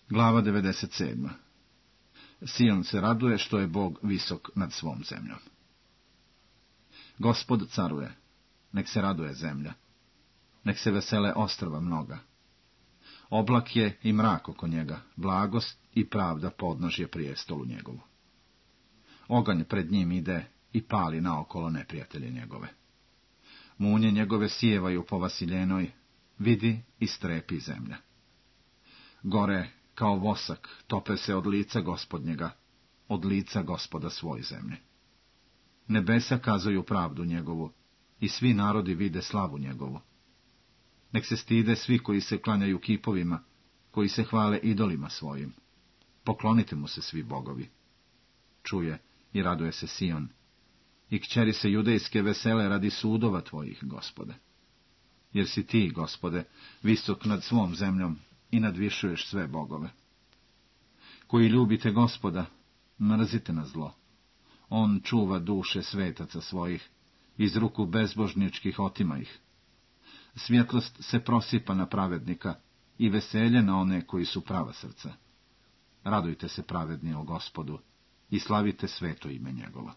Glava 97. Sion se raduje što je Bog visok nad svom zemljom. Gospod caruje, nek se raduje zemlja, nek se vesele ostrva mnoga. Oblak je i mrak oko njega, blagost i pravda podnožje prijestolu njegovu. Oganj pred njim ide i pali naokolo neprijatelje njegove. Munje njegove sijevaju po vasiljenoj, vidi i strepi zemlja. Gore kao vosak tope se od lica Gospodnjega, od lica Gospoda svoj zemlje. Nebesa kazuju pravdu njegovu i svi narodi vide slavu njegovu. Nek se stide svi koji se klanjaju kipovima, koji se hvale idolima svojim. Poklonite mu se svi bogovi. Čuje i raduje se Sion, i kćeri se judejske vesele radi sudova tvojih, Gospode. Jer si ti, Gospode, visok nad svom zemljom i nadvišuješ sve bogove. Koji ljubite Gospoda, mrzite na zlo. On čuva duše svetaca svojih, iz ruku bezbožničkih otima ih. Svjetlost se prosipa na pravednika i veselje na one koji su prava srca. Radujte se pravedni o Gospodu i slavite sveto ime njegovo.